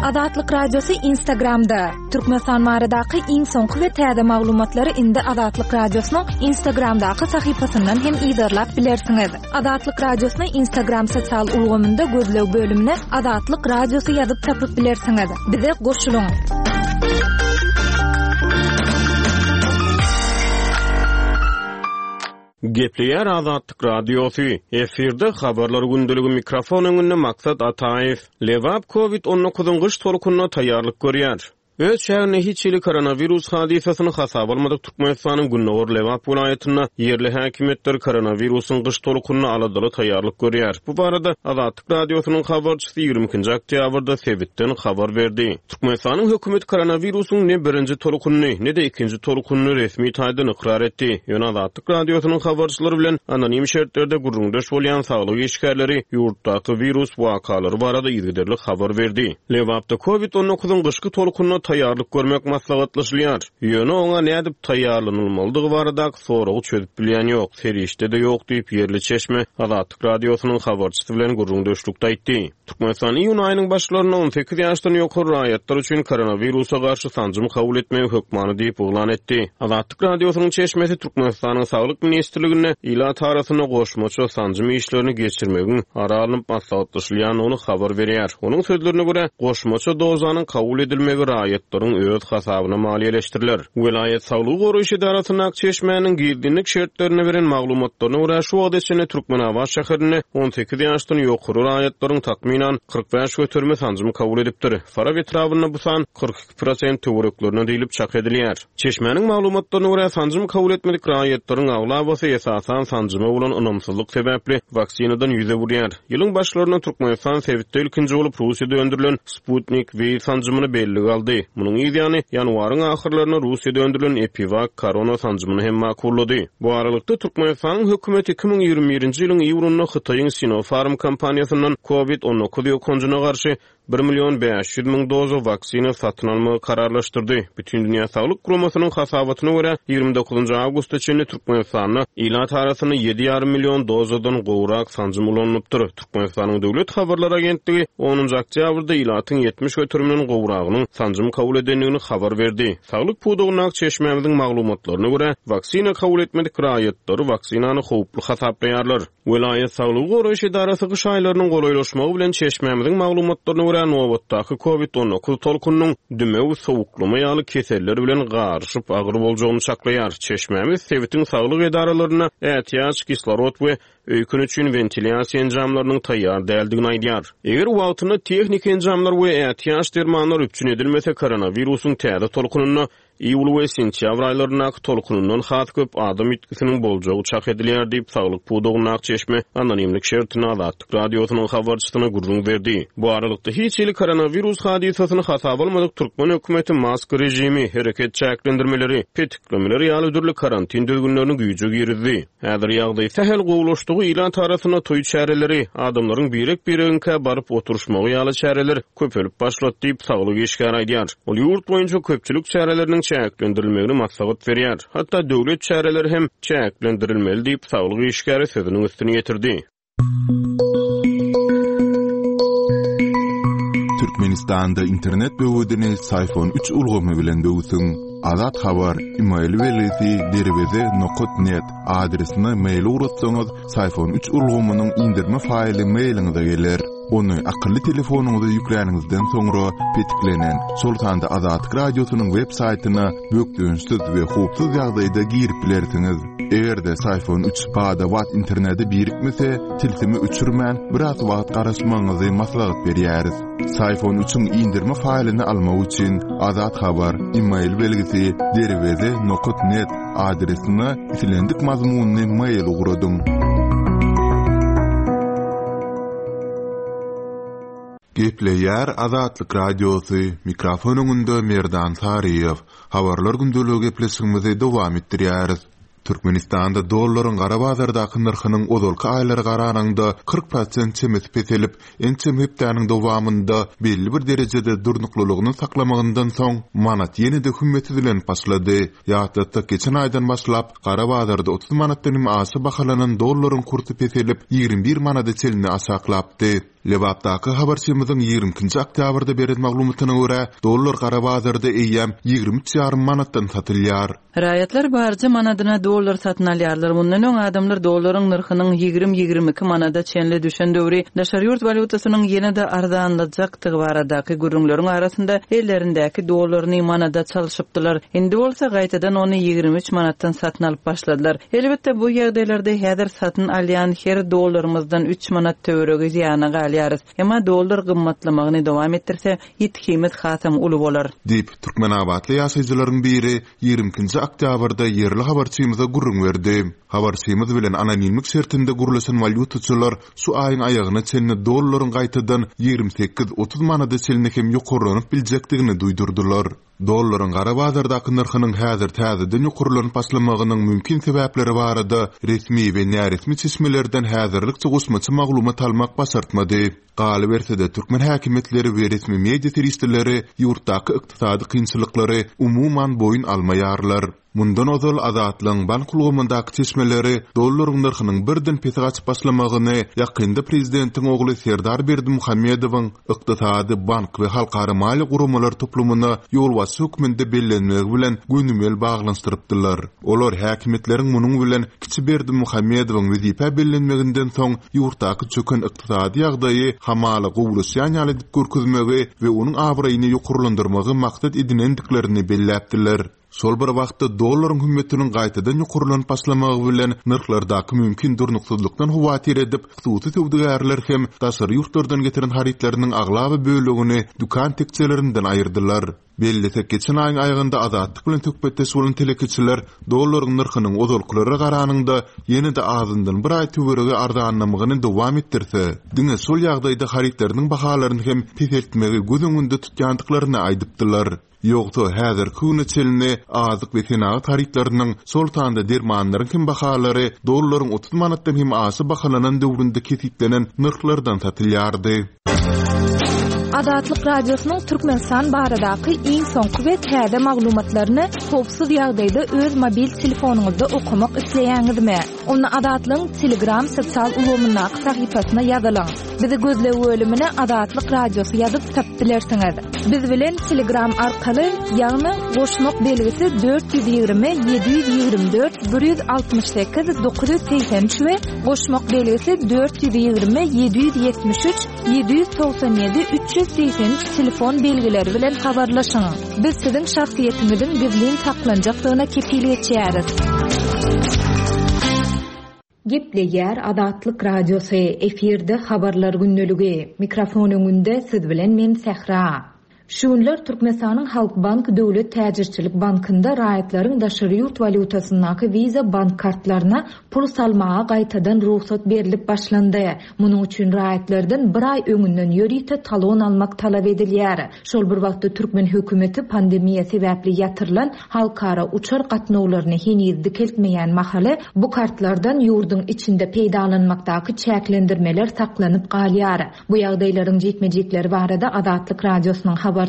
Azatlyk Radiosy Instagramda! Türkmenistan baradaky iň soňky we täze maglumatlary indi Azatlyk Radiosynyň Instagramdaky sahypasyndan hem yzarlap bilersiňiz. Azatlyk Radiosyny Instagram sosial ulgamynda gözleg bölümine Azatlyk Radiosy ýazyp tapyp bilersiňiz. Bize goşulyň! Gepleýär Azatlyk Radiosy, efirde Habarlar gündeligi mikrofon öňünde Maksat Ataýew. Lebap Covid 19-yň gyş tolkunyna taýýarlyk görýär. Öz çäginde hiç hili koronawirus hadysasyny hasaba almadyk Türkmenistanyň gündogar Lebap welaýatynda ýerli häkimiýetler koronawirusyň gyş tolkunyna aladaly taýýarlyk görýär. Bu barada Azatlyk Radiosynyň habarçysy 22-nji oktýabrda sebitden habar berdi. Türkmenistanyň hökümeti koronawirusyň ne birinji tolkunyny, ne-de ikinji tolkunyny resmi taýdan ykrar etdi. Ýöne Azatlyk Radiosynyň habarçylary bilen anonim şertlerde gürrüňdeş bolýan saglyk işgärleri ýurtdaky wirus wakalary barada yzygiderli habar berdi. Lebapda Covid 19-yň gyşky tolkunyna taýýarlyk görmek maslahatlaşylýar. Ýöne oňa nädip taýýarlanylmalydygy baradaky soragy çözüp bilýän ýok, serişde-de ýok diýip, ýerli çeşme Azatlyk Radiosynyň habarçysy bilen gürrüňdeşlikde aýtdy. Türkmenistan iýun aýynyň başlarynda 18 ýaşdan ýokary raýatlar üçin koronawirusa garşy sanjym kabul etmegi hökmany diýip yglan etdi. Azatlyk Radiosynyň çeşmesi Türkmenistanyň Saglyk ministrliginde ilat arasynda goşmaça sanjym işlerini geçirmegiň ara alnyp maslahatlaşylýandygyny habar berýär. Onuň sözlerine görä, goşmaça dozanyň kabul edilmegi raýatlaryň öz hasabyna maliýeleşdiriler. Welaýat saglygy goraýyş edarasyndaky çeşmäniň gizlinlik şertlerinde beren maglumatlaryna görä, şu wagta çenli Türkmenabat şäherinde 18 ýaşdan ýokary raýatlaryň takmynan 45 göterimi sanjym kabul edipdir. Farap etrabynda bu san 42 prosent töwereklerine diýlip çak edilýär. Çeşmäniň maglumatlaryna görä, sanjym kabul etmedik raýatlaryň aglabasy esasan sanjyma bolan ynamsyzlyk sebäpli waksinadan ýüz öwürýär. Ýylyň başlarynda Türkmenistan sebitde ilkinji bolup Russiýada öndürilen Sputnik V sanjymyny bellige aldy. Munuň yz ýany, ýanwaryň ahyrlarynda Russiýada öndürilen EpiVak korona sanjymyny hem makullady. Bu aralykda, Türkmenistanyň hökümeti 2021-nji ýylyň iýunynda Hytaýyň Sinopharm kompaniýasyndan Covid 19 ýokanjyna garşy bir million 500 müň doza waksina satyn almagy kararlaşdyrdy. Bütindünýä Saglyk Guramasynyň hasabatyna görä, 29 awgusta çenli Türkmenistanda ilat arasynda ýedi ýarym million dozadan gowrak sanjym ulanylypdyr. Türkmenistanyň Döwlet habarlar agentligi onunjy oktýabrda ilatyň 70 göteriminden gowragynyň sanjym kabul edendigini habar berdi. Saglyk pudagyndaky çeşmämiziň maglumatlaryna görä, waksina kabul etmedik raýatlary waksinany howply hasaplaýarlar. Welaýat saglygy goraýyş edarasy gyş aýlarynyň golaýlaşmagy bilen çeşmämiziň maglumatlaryna görä, nobatdaky Covid 19 tolkunynyň dümew, sowuklama ýaly keseller bilen garyşyp agyr boljagyny çaklaýar. Çeşmämiz sebitiň saglyk edaralarynda ätiýaç kislorod we öýken üçin wentilýasiýa enjamlarynyň taýýar däldigini aýdýar. Eger wagtynda tehniki enjamlar we ätiýaç dermanlar üpjün edilmese, koronawirusyň täze tolkunynda iýul we sentýabr aýlaryndaky tolkunyndan has köp adam ýitgisiniň boljagy çak edilýär diýip, saglyk pudagyndaky çeşme anonimlik şertinde Azatlyk Radiosynyň habarçysyna gürrüň berdi. Bu aralykda, hiç hili koronawirus hadysasyny hasaba almadyk türkmen hökümeti maska režimi, hereket çäklendirmeleri, petiklemeler ýaly dürli karantin düzgünlerini güýje girizdi. Häzir ýagdaý sähel gowulaşdygy ilat arasynda toý çäreleri, adamlaryň birek-biregiňkä baryp oturyşmagy ýaly çäreler köpelip başlady diýip, saglyk işgäri aýdýar. Ol ýurt boýunça köpçülik çäreleriniň çäklendirilmegini maslahat berýär. Hatda döwlet çäreleri hem çäklendirilmeli diýip, saglyk işgäri sözüniň üstüni ýetirdi. Türkmenistanda internet böwedini Syfon 3 ulgamy bilen böwsüň. Azat Habar, email belgisi derweze nokat net adresine mail ugratsaňyz, Syfon 3 ulgamynyň inderme faýly mailiňize geler. Ony akylly telefonyňyza ýükläniňizden soňra petiklenen, şol sanda Azatlyk Radiosynyň web saýtyna bökdençsiz we howpsuz ýagdaýda girip bilersiňiz. Eger-de Syfon 3 bada-bat internete birikmese, tilsimi öçürmän, biraz wagt garaşmagyňyzy maslahat berýäris. Syfon 3-iň indirme faýlyny almak üçin Azat Habar, email belgisi derweze nokat net adresine islendik mazmunly mail ugradyň. Gepleýär Azatlyk Radiosy, mikrofon öňünde Merdan Saryýew. Habarlar gündeligi gepleşigimizi dowam etdirýäris. Türkmenistanda dollaryň gara bazardaky nyrhynyň ozalky aýlara garanyňda 40 prosent çemesi peselip, ençeme hepdäniň dowamynda belli bir derejede durnuklylygyny saklamagyndan soň, manat ýene-de hümmetsizlenip başlady. Ýatlatsak, geçen aýdan başlap, gara bazarda 30 manatdan hem aşa bahalanan dollaryň kursy peselip, 21 manada çenli aşaklapdy. Lebapdaky habarçymyzyň 22-nji oktýabrda beren maglumatyna görä, dollar gara bazarda eýýäm 23 ýarym manatdan satylýar. Raýatlar barja manadyna dollar satyn alýarlar. Mundan öň adamlar dollaryň nyrhynyň ýigrimi-ýigrimi iki manada çenli düşen döwri daşary ýurt walýutasynyň ýene-de arzanlajakdygy baradaky gürrüňleriň arasynda ellerindäki dollaryny manada çalşypdylar. Indi bolsa gaýtadan ony 23 manatdan satyn alyp başladylar. Elbetde, bu ýagdaýlarda häzir satyn alýan her dollarymyzdan üç manat töweregi zyýana galýarys. Emma dollar gymmatlamagyny dowam etdirse, ýitgimiz hasam uly bolar. Diýip, türkmenabatly ýaşaýjylaryň biri ýigrimi ikinji oktýabrda ýerli habarçymyza gürrüň berdi. Habarçymyz bilen anonimlik şertinde gürleşen walýutaçylar şu aýyň aýagyna çenli dollaryň gaýtadan 28, 30 manada çenli hem ýokarlanyp biljekdigini duýdurdylar. Dollaryň gara bazardaky nyrhynyň häzir täzeden ýokarlanyp başlamagynyň mümkin sebäpleri barada resmi we näresmi çeşmelerden häzirlikçe goşmaça maglumat almak başartmady. Galyberse-de, türkmen häkimiýetleri we resmi media serişdeleri ýurtdaky ykdysady kynçylyklary umuman boýun almaýarlar. Mundan ozal Azatlygyň bank ulgamyndaky çeşmeleri dollaryň nyrhynyň birden pese gaçyp başlamagyny ýakynda prezidentiň ogly Serdar Berdimuhamedowyň ykdysady, bank we halkara maliýe guramalar toplumyna ýolbaşçy hökmünde bellenmegi bilen gönümel baglanyşdyrypdylar. Olar häkimiýetleriň munuň bilen kiçi Berdimuhamedowyň wezipä bellenmeginden soň ýurtdaky çöken ykdysady ýagdaýy hamala gowulaşýan ýaly edip görkezmegi we onuň abraýyny ýokarlandyrmagy maksat edinendiklerini belläpdiler. Şol bir wagtda, dollaryň hümmetiniň gaýtadan ýokarlanyp başlamagy bilen nyrhlardaky mümkin durnuksyzlykdan howatyr edip, hususy söwdagärler hem daşary ýurtlardan getiren harytlarynyň aglaba bölegini dükan tekjelerinden aýyrdylar. Bellesek, geçen aýyň aýagynda Azatlyk bilen söhbetdeş bolan telekeçiler dollaryň nyrhynyň ozalkylara garanyňda ýene-de azyndan bir aý töweregi arzanlamagyny dowam etdirse, diňe şol ýagdaýda harytlarynyň bahalaryny hem peseltmegi göz öňünde tutýandyklaryny aýdypdylar. Ýogsa, häzirki güne çenli azyk we senagat harytlarynyň, şol sanda dermanlaryň hem bahalary dollaryň 30 manatdan hem aşa bahalanan döwründe kesgitlenen nyrhlardan satylýardy. Azatlyk Radiosynyň Türkmenistan baradaky iň soňky we täze maglumatlaryny howpsuz ýagdaýda öz mobil telefonyňyzda okamak isleýäňizmi? Onda Azatlygyň Telegram sosial ulgamyndaky sahypasyna ýazylyň. Bizi gözleg bölümine Azatlyk Radiosy ýazyp tapyp bilersiňiz. Biz bilen Telegram arkaly, ýagny goşmak belgisi 420 724 168 983 we Goşmak belgisi 420 773 797 383 telefon belgileri bilen habarlaşyň. Biz siziň şahsyýetiňiziň gizlin saklanjakdygyna kepil geçýäris. Gepleýär Azatlyk Radiosy, efirde Habarlar gündeligi. Mikrofon öňünde siz bilen men Sähra. Şu günler Türkmenistanyň Halkbank döwlet täjirçilik bankynda raýatlaryň daşary ýurt walýutasyndaky Visa bank kartlaryna pul salmaga gaýtadan rugsat berlip başlandy. Munuň üçin raýatlardan bir aý öňünden ýörite talon almak talap edilýär. Şol bir wagtda türkmen hökümeti pandemiýa sebäpli ýatyrylan halkara uçar gatnawlaryny heniz dikeltmeýän mahaly bu kartlardan ýurduň içinde peýdalanmakdaky çäklendirmeler saklanyp galýar. Bu ýagdaýlaryň jikme-jikleri barada Azatlyk Radiosynyň habarçysy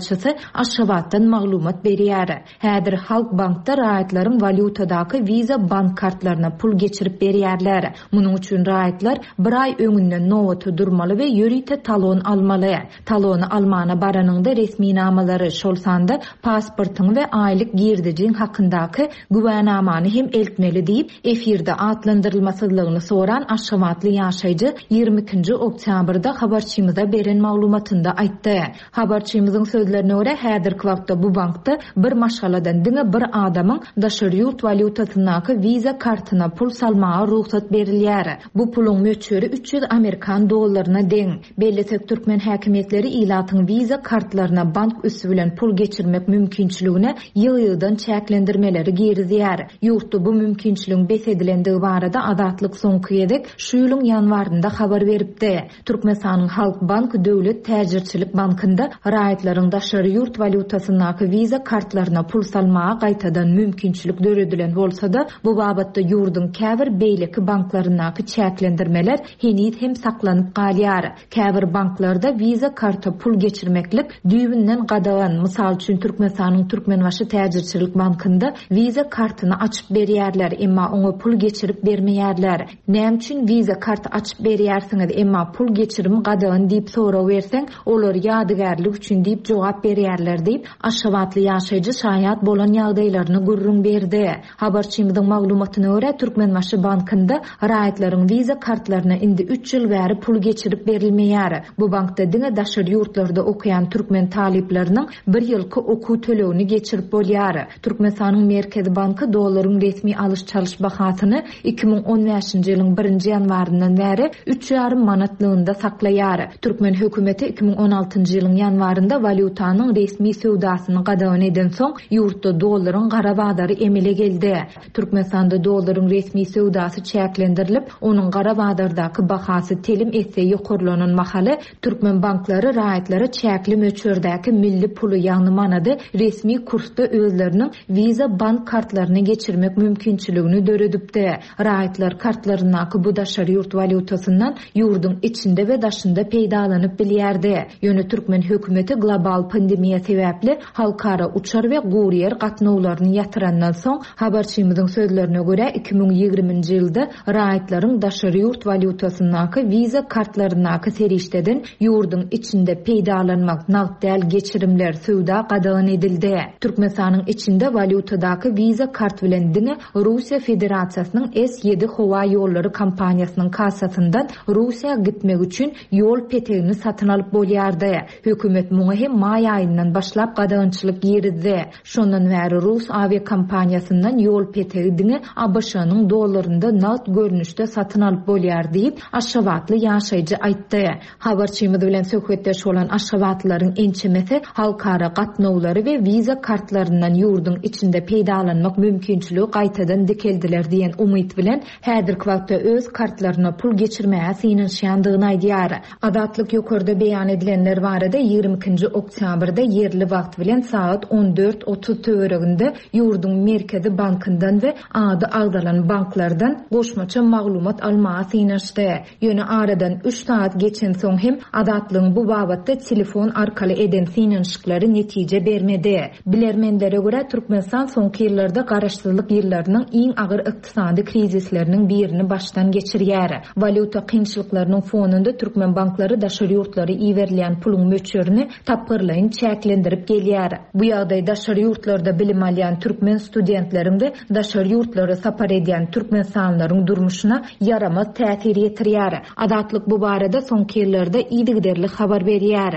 Aşgabatdan maglumat berýär. Häzir Halkbankda raýatlaryň walýutadaky Visa bank kartlaryna pul geçirip berýärler. Munuň üçin raýatlar bir aý öňünden nobata durmaly we ýörite talon almaly. Talony almana baranyňda resminamalary, şol sanda pasportyňy we aýlyk girdejiň hakyndaky güwänamany hem eltmeli diýip, efirde atlandyrylmasyzlygyny soran aşgabatly ýaşaýjy 22 nji oktýabrda habarçymyza beren maglumatynda aýtdy. Habarçymyzyň sözlerine görä, häzirki wagtda bu bankda bir maşgaladan diňe bir adamyň daşary ýurt walýutasyndaky Visa kartyna pul salmaga rugsat berilýär. Bu puluň möçberi 300 amerikan dollaryna deň. Bellesek, türkmen häkimiýetleri ilatyň Visa kartlaryna bank üsti bilen pul geçirmek mümkinçiligine ýygy-ýygydan çäklendirmeleri girizýär. Ýurtda bu mümkinçiligiň bes edilendigi barada Azatlyk soňky gezek şu ýylyň ýanwarynda habar beripdi. Türkmenistanyň Halkbank döwlet täjirçilik bankynda raýatlaryň. Türkmenistanyň daşary ýurt walýutasyndaky Visa kartlaryna pul salmaga gaýtadan mümkinçilik döredilen bolsa-da, bu babatda ýurduň käbir beýleki banklaryndaky çäklendirmeler heniz hem saklanyp galýar. Käbir banklarda Visa karta pul geçirmeklik düýbünden gadagan. Mysal üçin, Türkmenistanyň Türkmenbaşy täjirçilik bankynda Visa kartyny açyp berýärler, emma oňa pul geçirip bermeýärler. Näme üçin Visa kart açyp berýärsiňiz, emma pul geçirim gadagan diýip sorag berseň, olar ýadygärlik üçin diýip jogap berýärler diýip, aşgabatly ýaşaýjy şaýat bolan ýagdaýlaryny gürrüň berdi. Habarçymyzyň maglumatyna görä, Türkmenbaşy bankynda raýatlaryň Visa kartlaryna indi üç ýyl bäri pul geçirip berilmeýär. Bu bankda diňe daşary ýurtlarda okaýan türkmen talyplarynyň bir ýylky okuw tölegini geçirip bolýar. Türkmenistanyň Merkezi banky dollaryň resmi alyş-çalyş bahasyny 2015-nji ýylyň birinji ýanwaryndan bäri üç ýarym manatlygynda saklaýar. Türkmen hökümeti 2016-njy ýylyň ýanwarynda walýutanyň resmi söwdasyny gadagan edensoň, ýurtda dollaryň gara bazary emele geldi. Türkmenistanda dollaryň resmi söwdasy çäklendirilip, onuň gara bazardaky bahasy telim esse ýokarlanan mahaly, Türkmen banklary raýatlara çäkli möçberdäki milli puly, ýagny manady resmi kursda özleriniň Visa bank kartlaryna geçirmek mümkinçiligini döredipdi. Raýatlar kartlaryndaky bu daşary ýurt walýutasyndan ýurduň içinde we daşynda peýdalanyp bilýärdi. Ýöne türkmen hökümeti global pandemiýa sebäpli halkara uçar we guryýer gatnawlaryny ýatyrandan soň, habarçymyzyň sözlerine görä, 2020-nji ýylda raýatlaryň daşary ýurt walýutasyndaky Visa kartlaryndaky serişdeden ýurduň içinde peýdalanmak, nagt däl geçirimler, söwda gadagan edildi. Türkmenistanyň içinde walýutadaky Visa kart bilen diňe Russiýa Federasiýasynyň S ýedi howa ýollary kompaniýasynyň kassasyndan Russiýa gitmek üçin ýol petegini satyn alyp bolýardy. Hökümet muňa hem maý aýyndan başlap gadagançylyk girizdi. Şondan bäri rus awiakompaniýasyndan ýol petegi diňe ABŞ-nyň dollarynda nagt görnüşde satyn alyp bolýar diýip, aşgabatly ýaşaýjy aýtdy. Habarçymyz bilen söhbetdeş bolan aşgabatlylaryň ençemesi halkara gatnawlary we wiza kartlaryndan ýurduň içinde peýdalanmak mümkinçiligi gaýtadan dikeldiler diýen umyt bilen, häzirki wagtda öz kartlaryna pul geçirmäge synanyşýandygyny aýdýar. Azatlyk ýokarda beýan edilenler barada 22 nji oktýabrda ýerli wagt bilen sagat 14, 30 töwereginde ýurduň Merkezi bankyndan we ady agzalan banklardan goşmaça maglumat almaga synanyşdy. Ýöne aradan üç sagat geçensoň hem Azatlygyň bu babatda telefon arkaly eden synanyşyklary netije bermedi. Bilermenlere görä, Türkmenistan soňky ýyllarda garaşsyzlyk ýyllarynyň iň agyr ykdysady krizisleriniň birini başdan geçirýär. Walýuta kynçylyklarynyň fonunda türkmen banklary daşary ýurtlara iberilýän puluň möçberini tapgyrlaýyn çäklendirip gelýär. Bu ýagdaý daşary ýurtlarda bilim alýan türkmen studentleriň we daşary ýurtlara sapar edýän türkmenistanlylaryň durmuşyna ýaramaz täsir ýetirýär. Azatlyk bu barada soňky ýyllarda yzygiderli habar berýär.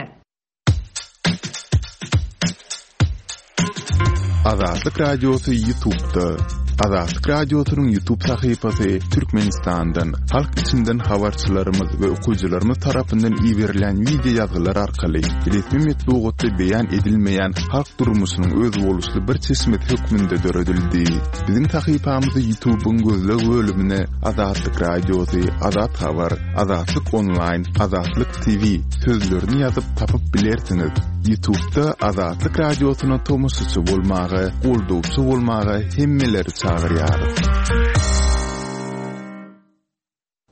Azatlyk Radiosy YouTube'da. Azatlyk Radiosynyň YouTube sahypasy Türkmenistandan, halk içinden habarçylarymyz we okyjylarymyz tarapyndan iberilen wideo ýazgylar arkaly resmi metbugatda beýan edilmeýän halk durmuşynyň özboluşly bir çeşmesi hökmünde döredildi. Biziň sahypamyzy YouTube'yň gözleg bölümine Azatlyk Radiosy, Azat Habar, Azatlyk Onlaýn, Azatlyk TV sözlerini ýazyp tapyp bilersiňiz. Ýutubda Azatlyk Radiosyna tomaşaçy bolmaga, goldawçy bolmaga hemmeleri çagyrýarys.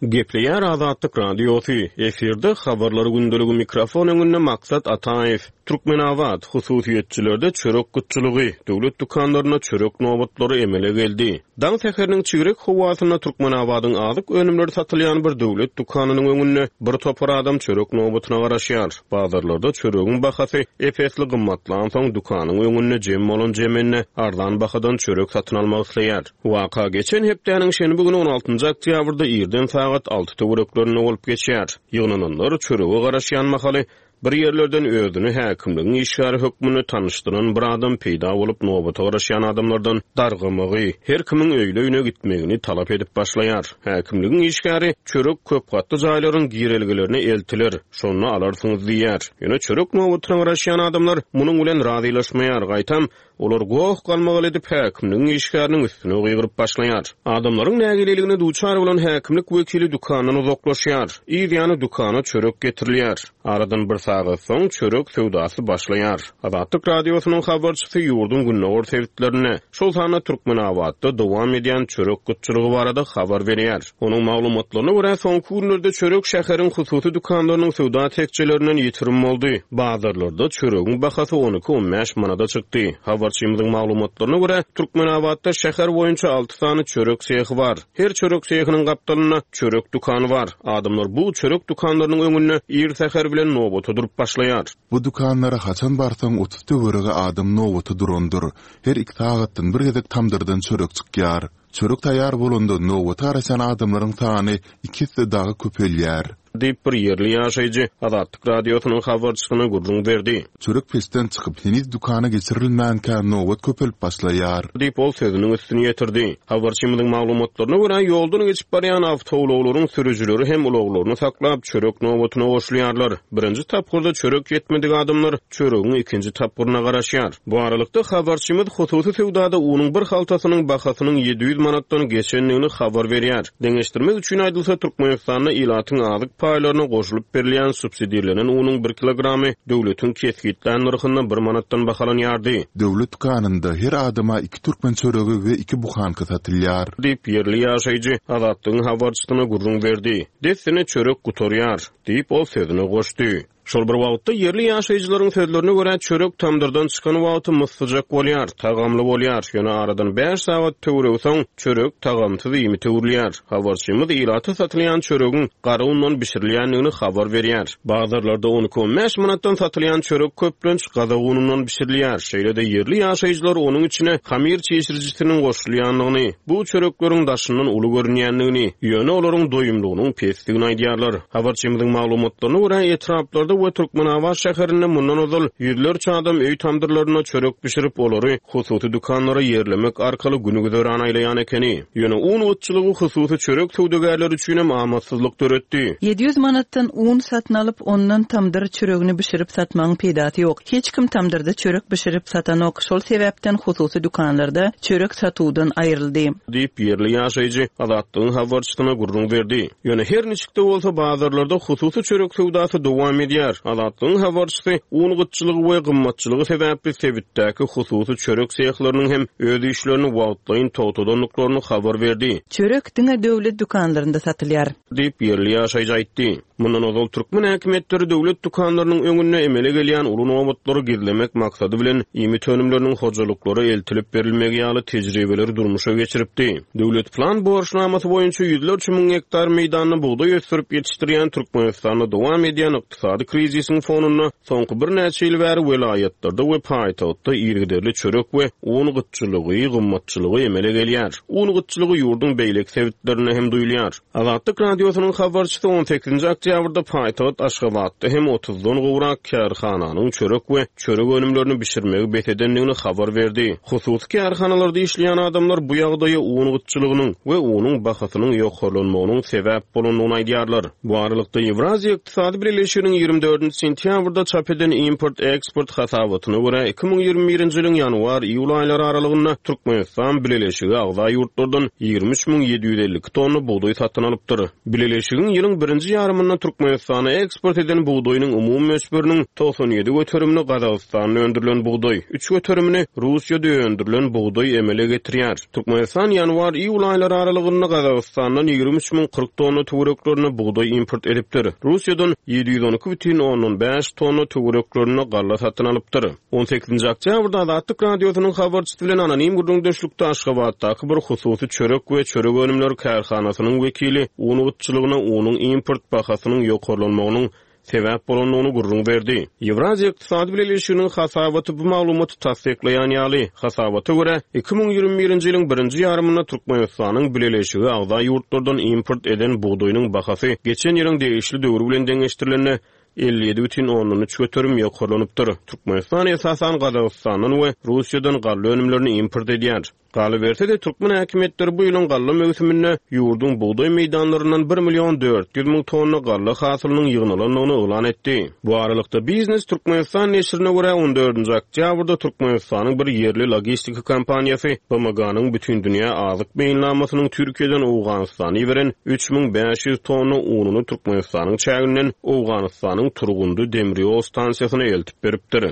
Gepleýär Azatlyk Radiosy, efirde Habarlar gündeligi mikrofon öňünde Maksat Ataýew. Türkmenabat, hususyýetçilerde çörek gytçylygy, döwlet dükanlarynda çörek nobatlary emele geldi. Daň säheriniň çigrek howasynda Türkmenabadyň azyk önümleri satylýan bir döwlet dükanynyň öňünde bir topar adam çörek nobatyna garaşýar. Bazarlarda çöregiň bahasy ep-esli gymmatlansoň, dükanyň öňünde jem bolan jemende arzan bahadan çörek satyn almak isleýär. Waka geçen hepdäniň şenbe güni on altynjy oktýabrda irden sagat alty töwereklerinde bolup geçýär. Ýygnananlar çörege garaşýan mahaly Bir ýerlerden özüni häkimligiň işgäri hökmünde tanyşdyran bir adam peýda bolup, nobata garaşýan adamlardan dargamagy, her kimiň öýli-öýüne gitmegini talap edip başlaýar. Häkimligiň işgäri, Çörek köpgatly jaýlaryň girelgelerine eltiler, şonda alarsyňyz diýýär. Ýöne çörek nobatyna garaşýan adamlar munuň bilen razylaşmaýar, gaýtam, Olar goh-galmagal edip, häkimligiň işgäriniň üstüne gygyryp başlaýar. Adamlaryň nägileligine duçar bolan häkimlik wekili dükandan uzaklaşýar. Yz ýany dükana çörek getirilýär. Aradan bir sagat. sagat soň çörek söwdasy başlaýar. Azatlyk Radiosynyň habarçysy ýurduň gündogar sebitlerinde, şol sanda Türkmenabatda dowam edýän çörek gytçylygy barada habar berýär. Onuň maglumatlaryna görä, soňky günlerde çörek şäheriň hususy dükanlarynyň söwda tekjelerinden ýitirim boldy. Bazarlarda çöregiň bahasy on iki-on bäş manada çykdy. Habarçymyzyň maglumatlaryna görä, Türkmenabatda şäher boýunça alty sany çörek sehi bar. Her çörek sehiniň gapdalynda çörek dükany bar. Adamlar bu çörek dükanlarynyň öňünde ir säher bilen nobata durup başlaýar. Bu dükanlara haçan barsaň 30 töweregi adam nobata durandyr. Her iki sagatdan bir gezek tamdyrdan çörek çykýar. Çörek taýýar bolanda nobata garaşýan adamlaryň sany iki esse dagy köpelýär. Diýip, bir ýerli ýaşaýjy Azatlyk Radiosynyň habarçysyna gürrüň berdi. Çörek peçden çykyp, heniz dükana geçirilmänkä nobat köpelip başlaýar. Diýip, ol sözüniň üstüni ýetirdi. Habarçymyzyň maglumatlaryna görä, ýoldan geçip barýan awtoulaglaryň sürüjileri hem ulaglaryny saklap, çörek nobatyna goşulýarlar. Birinji tapgyrda çörek ýetmedik adamlar çöregiň ikinji tapgyryna garaşýar. Bu aralykda, habarçymyz hususy söwdada unuň bir haltasynyň bahasynyň 700 manatdan geçendigini habar berýär. Deňeşdirmek üçin aýdylsa, Türkmenistanda ilatyň azyk paýlaryna goşulyp berilýän subsidirlenen unuň bir kilogramy döwletiň kesgitlän nyrhynda bir manatdan bahalanýardy. Döwlet dükanynda her adama iki türkmen çöregi we iki buhanka satylýar. Diýip, ýerli ýaşaýjy Azatlygyň habarçysyna gürrüň berdi. Dessine çörek gutarýar, diýip, ol sözüne goşdy. Şol bir wagtda, ýerli ýaşaýjylaryň sözlerine görä, çörek tamdyrdan çykan wagty myssyjak bolýar, tagamly bolýar, ýöne aradan bäş sagat töweregi soň, çörek tagamsyz iýmite öwrülýär. Habarçymyz ilata satylýan çöregiň gara undan bişirilýändigini habar berýär. Bazarlarda on iki-on bäş manatdan satylýan çörek köplenç gazak unundan bişirilýär. Şeýle-de ýerli ýaşaýjylar onuň içine hamyr çişirijisiniň goşulýandygyny, bu çörekleriň daşyndan uly görünýändigini, ýöne olaryň doýumlygynyň pesdigini aýdýarlar. Habarçymyzyň maglumatlaryna görä, etraplarda we Türkmenabat şäherinde mundan ozal ýüzlerçe adam öý tamdyrlarynda çörek bişirip, olary hususy dükanlara ýerlemek arkaly gün-güzeran aýlaýan ekeni. Ýöne un gytçylygy hususy çörek söwdagärleri üçinem amatsyzlyk döretdi. 700 manatdan un satyn alyp, ondan tamdyr çöregini bişirip satmagyň peýdasy ýok. Hiç kim tamdyrda çörek bişirip satanok, şol sebäpden hususy dükanlarda çörek satuwdan aýryldy. Diýip, ýerli ýaşaýjy Azatlygyň habarçysyna gürrüň berdi. Ýöne her niçik-de bolsa, bazarlarda hususy çörek söwdasy dowam edýär. Azatlygyň habarçysy un gytçylygy we gymmatçylygy sebäpli sebitdäki hususy çörek sehlarynyň hem öz işlerini wagtlaýyn togtadandyklaryny habar berdi. Çörek diňe döwlet dükanlarynda satylýar. Diýip, ýerli ýaşaýjy aýtdy. Mundan ozal türkmen häkimiýetleri döwlet dükanlarynyň öňünde emele gelýän uly nobatlary gizlemek maksady bilen, iýmit önümleriniň hojalyklara eltilip berilmegi ýaly tejribeleri durmuşa geçiripdi. Döwlet plan borçnamasy boýunça ýüzlerçe müň gektar meýdanda bugdaý ösdürip ýetişdirýän Türkmenistanda dowam edýän ykdysady krizisiň fonunda soňky birnäçe ýyl bäri welaýatlarda we paýtagtda yzygiderli çörek we un gytçylygy, gymmatçylygy emele gelýär. Un gytçylygy ýurduň beýleki sebitlerinde hem duýulýar. Azatlyk Radiosynyň habarçysy on sekizinji oktýabrda paýtagt Aşgabatda hem otuzdan gowrak kärhananyň çörek we çörek önümlerini bişirmegi bes edendigini habar berdi. Hususy kärhanalarda işleýän adamlar bu ýagdaýa un gytçylygynyň we unuň bahasynyň ýokarlanmagynyň sebäp bolandygyny aýdýarlar. Bu aralykda, Ýewraziýa Ykdysady Bileleşiginiň 24 sentýabrda çap eden import-eksport hasabatyna görä, 2021-nji ýylyň ýanwar-iýul aýlary aralygynda Türkmenistan Bileleşige agza ýurtlardan 23 752 tonna bugdaý satyn alypdyr. Bileleşigiň ýylyň birinji ýarymynda Türkmenistana eksport eden bugdaýynyň umumy möçberiniň 97 göterimini Gazagystanda öndürilen bugdaý, üç göterimini Russiýada öndürilen bugdaý emele getirýär. Türkmenistan ýanwar-iýul aýlary aralygynda Gazagystandan 23 040 tonna töwereklerinde bugdaý import edipdir. Russiýadan 712,5 tonna töwereklerinde galla satyn alypdyr. On sekizinji oktýabrda Azatlyk Radiosynyň habarçysy bilen anonim gürrüňdeşlikde Aşgabatdaky bir hususy çörek we çörek önümleri kärhanasynyň wekili un gytçylygyna unuň import bahasynyň ýokarlanmagynyň sebäp bolandygyny gürrüň berdi. Ýewraziýa Ykdysady Bileleşiginiň hasabaty bu maglumaty tassyklaýan ýaly. Hasabata görä, 2021-nji ýylyň birinji ýarymynda Türkmenistanyň Bileleşige agza ýurtlardan import eden bugdaýynyň bahasy geçen ýylyň degişli döwri bilen deňeşdirilende 57,3% ýokarlanypdyr. Türkmenistan esasan Gazagystandan we Russiýadan galla önümlerini import edýär. Galyberse-de, türkmen häkimiýetleri bu ýylyň galla möwsüminde ýurduň bugdaý meýdanlaryndan bir million 400 müň tonna galla hasylynyň ýygnalandygyny yglan etdi. Bu aralykda, Biznes Türkmenistan neşirine görä, on dördünji oktýabrda Türkmenistanyň bir ýerli logistika kompaniýasy BMG-niň Bütindünýä azyk meýilnamasynyň Türkiýeden Owganystana iberen 3500 tonna ununy Türkmenistanyň çäginden Owganystanyň Turgundy demir ýol stansiýasyna eltip beripdir.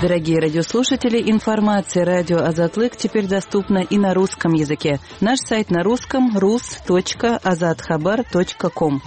Дорогие радиослушатели, информация радио Азатлык теперь доступна и на русском языке. Наш сайт на русском rus.azathabar.com.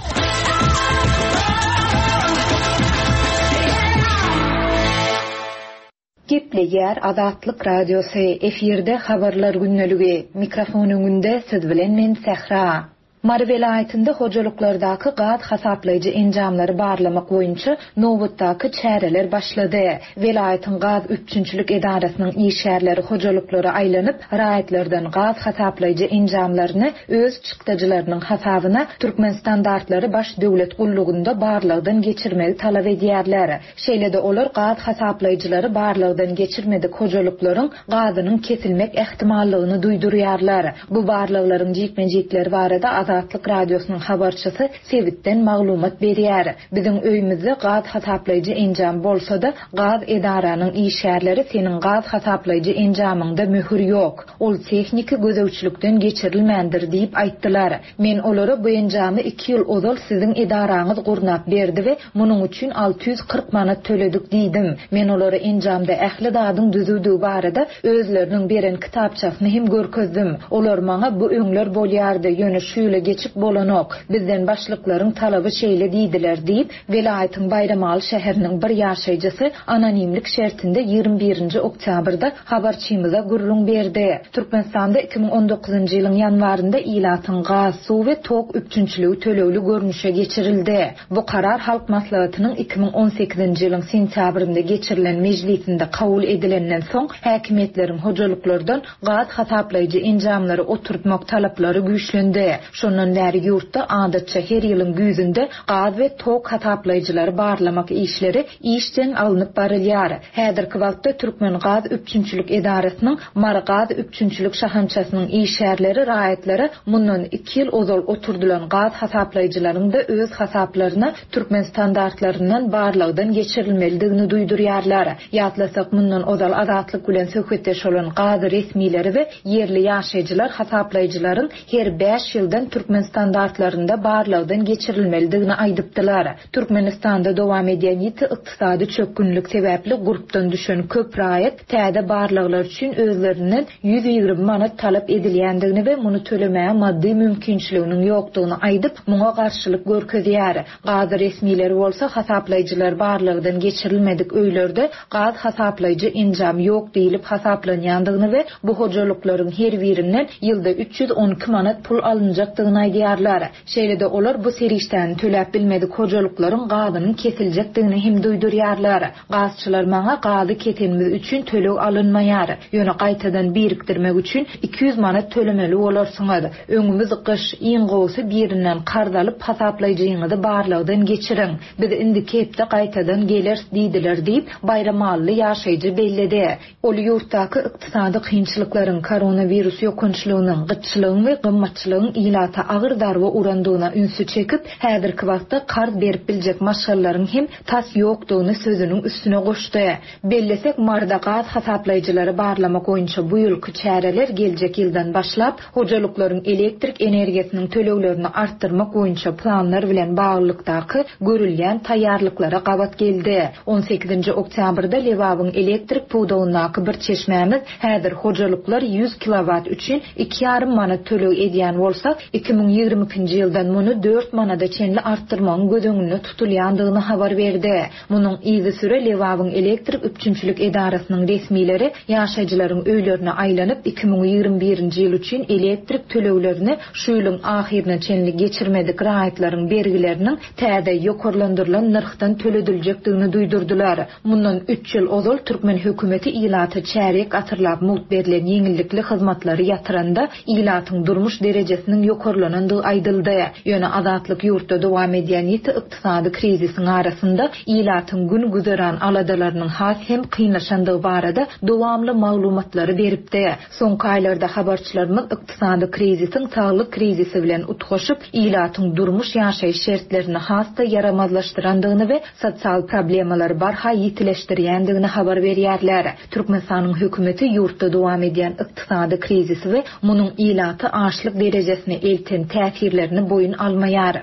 Gepleýär Azatlyk Radiosy, efirde Habarlar gündeligi, mikrofon öňünde siz bilen men Sähra. Mary welaýatynda hojalyklardaky gaz hasaplaýjy enjamlary barlamak boýunça nobatdaky çäreler başlady. Welaýatyň gaz üpjünçilik edarasynyň işgärleri hojalyklara aýlanyp, raýatlardan gaz hasaplaýjy enjamlaryny öz çykdajylarynyň hasabyna Türkmenstandartlary baş döwlet gullugynda barlagdan geçirmegi talap edýärler. Şeýle-de olar gaz hasaplaýjylary barlagdan geçirmedik hojalyklaryň gazynyň kesilmek ähtimallygyny duýdurýarlar. Bu barlaglaryň jikme-jikleri barada Azatlyk Radiosynyň habarçysy sebitden maglumat berýär. Biziň öýümizde gaz hasaplaýjy enjam bolsa-da, gaz edaranyň işgärleri seniň gaz hasaplaýjy enjamyňda möhür ýok, ol tehniki gözegçilikden geçirilmändir diýip aýtdylar. Men olara bu enjamy iki ýyl ozal siziň edaraňyz gurnap berdi we munuň üçin 640 manat töledik diýdim. Men olara enjamda ähli zadyň düzüwdigi barada özleriniň beren kitapçasyny hem görkezdim. Olar maňa bu öňler bolýardy, ýöne şu ýyla geçip bolanok. Bizden başlyklaryň talaby şeýle diýdiler diýip, Welaýatyň Baýramaly şäheriniň bir ýaşaýjysy anonimlik şertinde 21 nji oktýabrda habarçymyza gürrüň berdi. Türkmenistanda 2019-njy ýylyň ýanwarynda ilatyň gaz, suw we tok üpjünçiligi tölegli görnüşe geçirildi. Bu karar Halk Maslahatynyň 2018-nji ýylyň sentýabrynda geçirilen mejlisinde kabul edilenden soň, häkimiýetleriň hojalyklardan gaz hasaplaýjy enjamlary oturtmak talaplary güýçlendi. Şondan bäri ýurtda adatça her ýylyň güýzünde gaz we tok hasaplaýjylary barlamak işleri işjeň alnyp barylýar. Häzirki wagtda Türkmengaz üpjünçilik edarasynyň Mary gaz üpjünçilik şahamçasynyň işgärleri raýatlara mundan iki ýyl ozal oturdylan gaz hasaplaýjylaryň-da öz hasaplaryna türkmen standartlaryndan barlagdan geçirilmelidigini duýdurýarlar. Ýatlasak, mundan ozal Azatlyk bilen söhbetdeş bolan gaz resmileri we ýerli ýaşaýjylar hasaplaýjylaryň her bäş ýyldan türkmen standartlarynda barlagdan geçirilmelidigini aýdypdylar. Türkmenistanda dowam edýän ýiti ykdysady çökgünlik sebäpli gurpdan düşen köp raýat täze barlaglar üçin özlerinden 120 manat talap edilýändigini we muny tölemäge maddy mümkinçiliginiň ýokdugyny aýdyp, muňa garşylyk görkezýär. Gaz resmileri bolsa hasaplaýjylar barlagdan geçirilmedik öýlerde gaz hasaplaýjy enjam ýok diýlip hasaplanýandygyny we bu hojalyklaryň her birinden ýylda 312 manat pul alynjakdygyny aýdýarlar. Şeýle-de olar bu serişdäni töläp bilmedik hojalyklaryň gazynyň kesiljekdigini hem duýdurýarlar. Gazçylar maňa gazy kesenimiz üçin töleg alynmaýar. Ýöne gaýtadan birikdirmek üçin 200 manat tölemeli bolarsyňyz. Öňümiz gyş, iň gowusy birinden karz alyp hasaplaýjyňyzy barlagdan geçiriň. Biz indiki hepde gaýtadan geleris diýdiler diýip, baýramalyly ýaşaýjy belledi. Ol ýurtdaky ykdysady kynçylyklaryň, koronawirus ýokançlygynyň, gytçylygyň we gymmatçylygyň ilata agyr zarba urandygyna ünsi çekip, häzirki wagtda karz berip biljek maşgalalaryň hem tas ýokdugyny sözüniň üstüne goşdy. Bellesek, Maryda gaz hasaplaýjylary barlamak boýunça bu ýylky çäreler geljek ýyldan başlap, hojalyklaryň elektrik energiýasynyň töleglerini artdyrmak boýunça planlar bilen baglylykdaky görülýän taýýarlyklara gabat geldi. On sekizinji oktýabrda Lebabyň elektrik pudagyndaky bir çeşmämiz häzir hojalyklar ýüz kilowat üçin iki ýarym manat töleg edýän bolsa, 2022-nji ýyldan muny dört manada çenli artdyrmagyň göz öňünde tutulýandygyny habar berdi. Munuň yzysüre Lebabyň elektrik üpjünçilik edarasynyň resmileri ýaşaýjylaryň öýlerine aýlanyp, 2021-nji ýyl üçin elektrik töleglerini şu ýylyň ahyryna çenli geçirmedik raýatlaryň bergileriniň täze, ýokarlandyrylan nyrhdan tölediljekdigini duýdurdylar. Mundan üç ýyl ozal türkmen hökümeti ilata çärýek asyrlap mugt berlen ýeňillikli hyzmatlary ýatyranda, ilatyň durmuş derejesiniň ýokarlanmagyna. ýokarlanandygy aýdyldy. Ýöne Azatlyk ýurtda dowam edýän ýiti ykdysady krizisiň arasynda ilatyň gün-güzeran aladalarynyň has hem kynlaşandygy barada dowamly maglumatlary beripdi. Soňky aýlarda habarçylarymyz ykdysady krizisiň saglyk krizisi bilen utgaşyp, ilatyň durmuş-ýaşaýyş şertlerini has-da ýaramazlaşdyrandygyny we sosial problemalary barha ýitileşdirýändigini habar berýärler. Türkmenistanyň hökümeti ýurtda dowam edýän ykdysady krizisi we munuň ilaty açlyk derejesine elten täsirlerini boýun almaýar.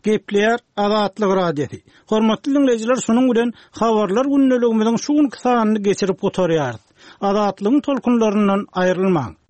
Gepleýär Azatlyk Radiosy. Hormatly diňleýjiler, şunuň bilen Habarlar gündeligimiziň şu günki sanyny geçirip gutarýarys. Azatlygyň tolkunlaryndan aýrylmaň!